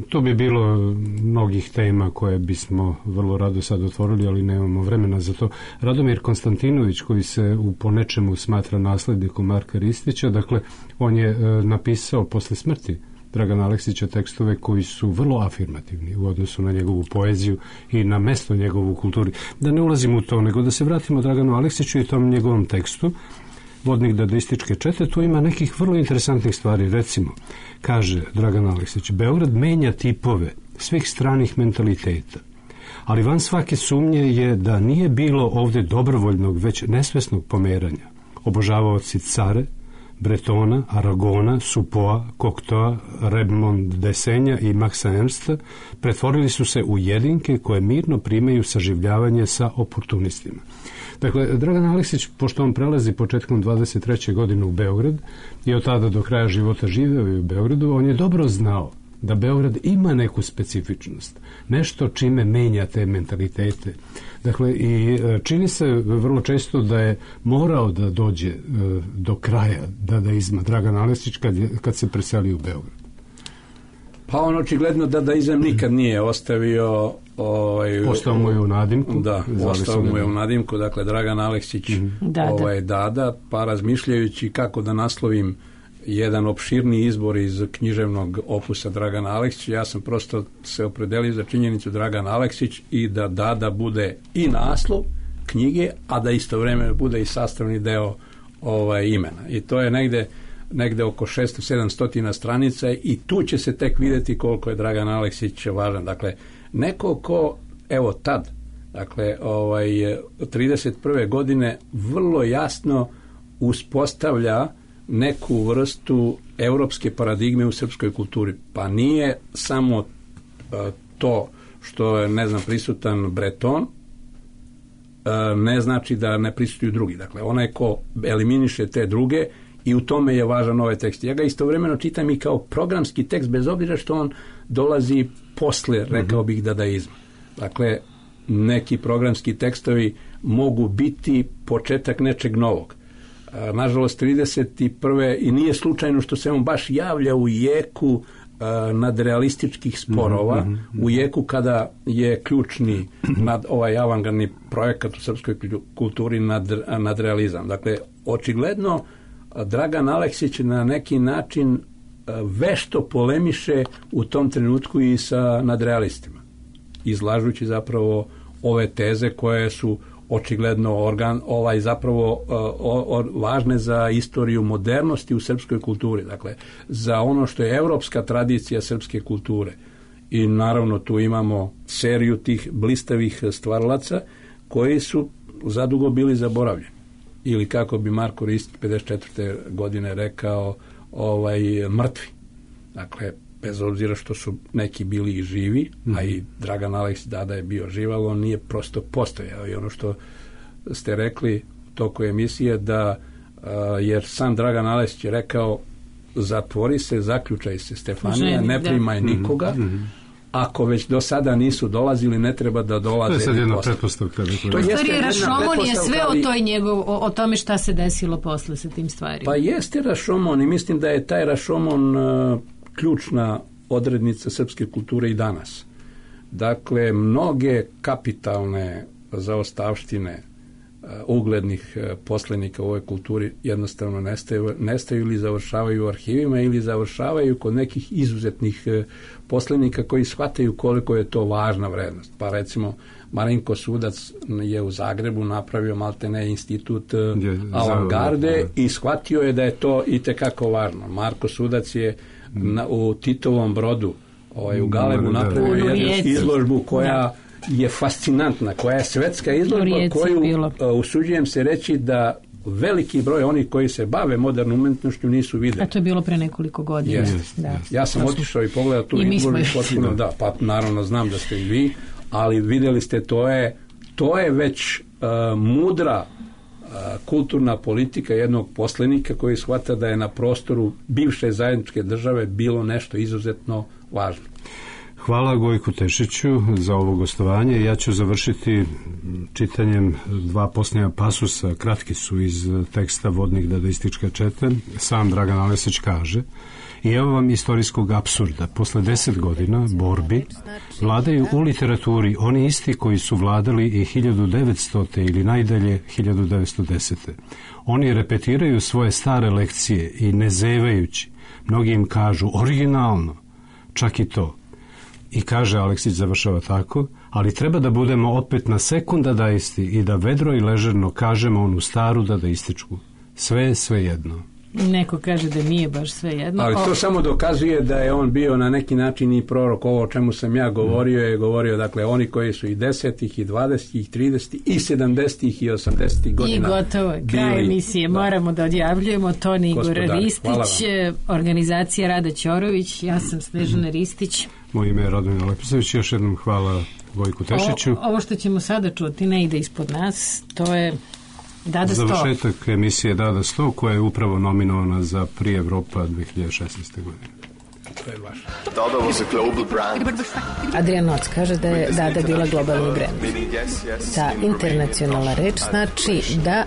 To bi bilo mnogih tema koje bismo vrlo rado sad otvorili, ali nemamo vremena za to. Radomir Konstantinović, koji se po nečemu smatra naslednikom Marka Ristića, dakle, on je napisao posle smrti Dragana Aleksića tekstove koji su vrlo afirmativni u odnosu na njegovu poeziju i na mesto njegovu kulturi. Da ne ulazimo u to, nego da se vratimo Draganu Aleksiću i tom njegovom tekstu Vodnik dadističke čete. Tu ima nekih vrlo interesantnih stvari. Recimo, kaže Dragan Aleksić, Beograd menja tipove svih stranih mentaliteta, ali van svake sumnje je da nije bilo ovde dobrovoljnog, već nesvesnog pomeranja. Obožavaoci Care, Bretona, Aragona, Supoa, Cocteau, Redmond Desenja i Maxa Ernsta pretvorili su se u jedinke koje mirno primaju saživljavanje sa oportunistima. Dakle, Dragan Aleksić, pošto on prelazi početkom 23. godine u Beograd i od tada do kraja života živeo i u Beogradu, on je dobro znao da Beograd ima neku specifičnost, nešto čime menja te mentalitete. Dakle, i čini se vrlo često da je morao da dođe do kraja dadaizma Dragan Aleksić kad se preselio u Beograd. Pa on očigledno dadaizam nikad nije ostavio. Ostao mu je u nadimku. Da, ostao mu je u nadimku. Dakle, Dragan Aleksić Dada, pa razmišljajući kako da naslovim jedan opširni izbor iz književnog opusa Dragana Aleksića, ja sam prosto se opredelio za činjenicu Dragan Aleksić i da Dada bude i naslov knjige, a da istovremeno bude i sastavni deo imena. I to je negde oko 600-700 stranica i tu će se tek vidjeti koliko je Dragan Aleksić važan. Dakle, neko ko, evo tad, dakle, 31. godine vrlo jasno uspostavlja neku vrstu europske paradigme u srpskoj kulturi. Pa nije samo to što je, ne znam, prisutan Breton, ne znači da ne prisutuju drugi. Dakle, onaj ko eliminiše te druge, i u tome je važan ovaj tekst. Ja ga istovremeno čitam i kao programski tekst, bez obzira što on dolazi posle, rekao bih, dadaizma. Dakle, neki programski tekstovi mogu biti početak nečeg novog. Nažalost, 31. i nije slučajno što se on baš javlja u jeku nadrealističkih sporova, u jeku kada je ključni ovaj avangardni projekat u srpskoj kulturi nadrealizam. Dakle, očigledno Dragan Aleksić na neki način vešto polemiše u tom trenutku i sa nadrealistima, izlažući zapravo ove teze koje su očigledno važne za istoriju modernosti u srpskoj kulturi, dakle za ono što je evropska tradicija srpske kulture. I naravno tu imamo seriju tih blistavih stvaralaca koji su zadugo bili zaboravljeni. Ili kako bi Marko Ristić 54. godine rekao, mrtvi. Dakle, bez obzira što su neki bili i živi, a i Dragan Aleksić Dada je bio živ, ali on nije prosto postojao. I ono što ste rekli u toku emisije, da jer sam Dragan Aleksić je rekao, zatvori se, zaključaj se, Stefanija, ne primaj nikoga. Ako već do sada nisu dolazili, ne treba da dolaze. To je sad jedna pretpostavka. To je Rašomon je sve o tome šta se desilo posle sa tim stvarima. Pa jeste Rašomon i mislim da je taj Rašomon ključna odrednica srpske kulture i danas. Dakle, mnoge kapitalne zaostavštine uglednih poslenika u ovoj kulturi jednostavno nestaju ili završavaju u arhivima ili završavaju kod nekih izuzetnih poslenika koji shvataju koliko je to važna vrednost. Pa recimo Marinko Sudac je u Zagrebu napravio maltene institut avangarde i shvatio je da je to itekako važno. Marko Sudac je u Titovom Brodu u Galebu napravio jednu izložbu koja je fascinantna, koja je svetska izložba koju usuđujem se reći da veliki broj onih koji se bave modernom umetnošću nisu videli. A to je bilo pre nekoliko godina. Ja sam otišao i pogledao tu izložbu potpuno, pa naravno znam da ste i vi, ali videli ste, to je već mudra kulturna politika jednog poslenika koji shvata da je na prostoru bivše zajedničke države bilo nešto izuzetno važno. Hvala Gojku Tešiću za ovo gostovanje. Ja ću završiti čitanjem dva posljednja pasusa, kratki su iz teksta Vodnik dadaističke čete. Sam Dragan Aleksić kaže: i evo vam istorijskog apsurda. Posle 10 godina borbi vladaju u literaturi oni isti koji su vladali i 1900. ili najdalje 1910. Oni repetiraju svoje stare lekcije i ne zevajući, mnogi im kažu originalno, čak i to. I kaže, Aleksić završava tako, ali treba da budemo opet na sekund dadaisti i da vedro i ležerno kažemo onu staru dadaističku. Sve je svejedno. Neko kaže da nije baš svejedno. Ali to samo dokazuje da je on bio na neki način i prorok. Ovo o čemu sam ja govorio je govorio, dakle, oni koji su i 10. i 20. i 30. i 70. i 80. godina. I gotovo, kraj emisije. Moramo da odjavljujemo. Toni Igor Ristić, organizacija Rada Ćorović, ja sam Snežana Ristić. Moje ime je Radomir Leposavić, još jednom hvala Gojku Tešiću. Ovo što ćemo sada čuti ne ide ispod nas, to je Dada 100. Završetak emisije Dada 100 koja je upravo nominovana za Prix Evropa 2016. godine. To je vaš. Dada was a global brand. Adrian Noc kaže da je Dada bila globalni brand. Ta internacionalna reč znači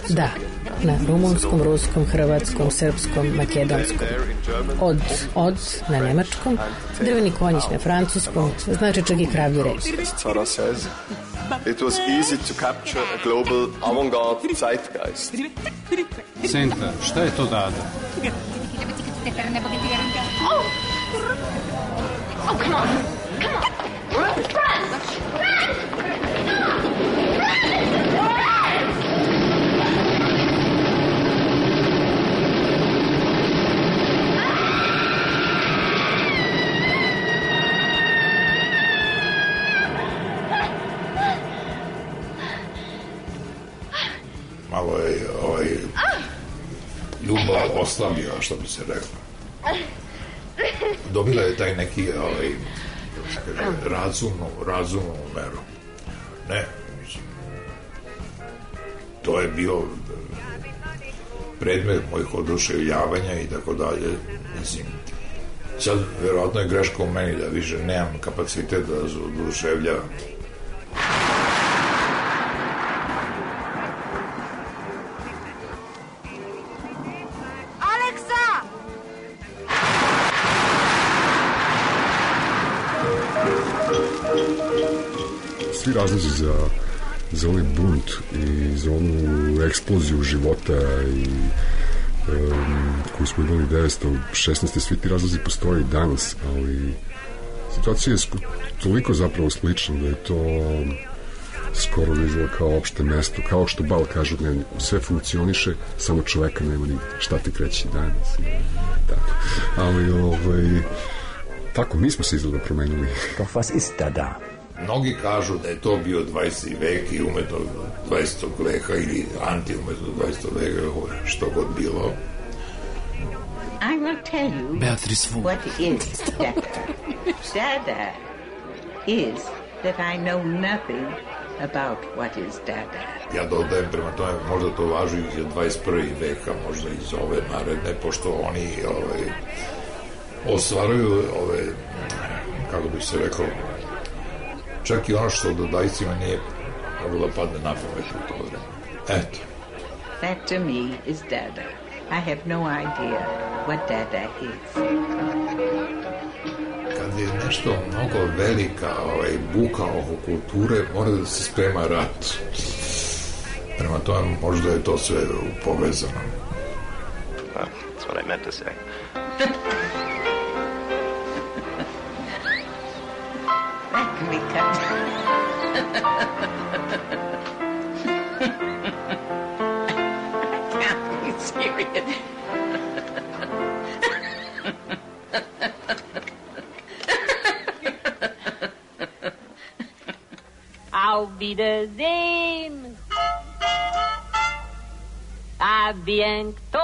da, na rumunskom, ruskom, hrvatskom, srpskom, makedonskom. Od na nemačkom, drveni konjić na francuskom, znači čak i kravlji reč. It was easy to capture a global avant-garde zeitgeist. Senta, šta je to Dada? Oh, come on. Malo je ljubav oslabila, što bi se reklo. Dobila je taj neki razumnu meru. Ne, mislim, to je bio predmet mojih oduševljavanja i tako dalje. Mislim, sad verovatno je greška u meni da više nemam kapacitet da se oduševljavam. Svi razlozi za ovaj bunt i za onu eksploziju života i koju smo imali 1916. Svi ti razlozi postoje i danas, ali situacija je toliko zapravo slična da je to skoro da izgleda kao opšte mesto, kao što Bal kažu, sve funkcioniše, samo čoveka nema nigde. Šta ti kreći danas? Tako. Ali tako, mi smo se izgleda promenili. Doch was ist da? Mnogi kažu da je to bio 20. vek i umetno 20. veka ili anti-umetno 20. veka, što god bilo. I will tell you what is death. Dada is that I know nothing about what is Dada. Ja dodajem prema tome, možda to važi i 21. veka, možda iz ove naredne, pošto oni ostvaruju kako bi se rekao, čak i ono što dodajcima nije moglo da padne na pamet u to vreme. Eto. That to me is Dada. I have no idea what Dada is. Kad je nešto mnogo velika buka oko kulture, mora da se sprema rat. Prema tome, možda je to sve povezano. Well, that's what I meant to say. That can be cut. I can't be serious. Auf Wiedersehen. A bientôt.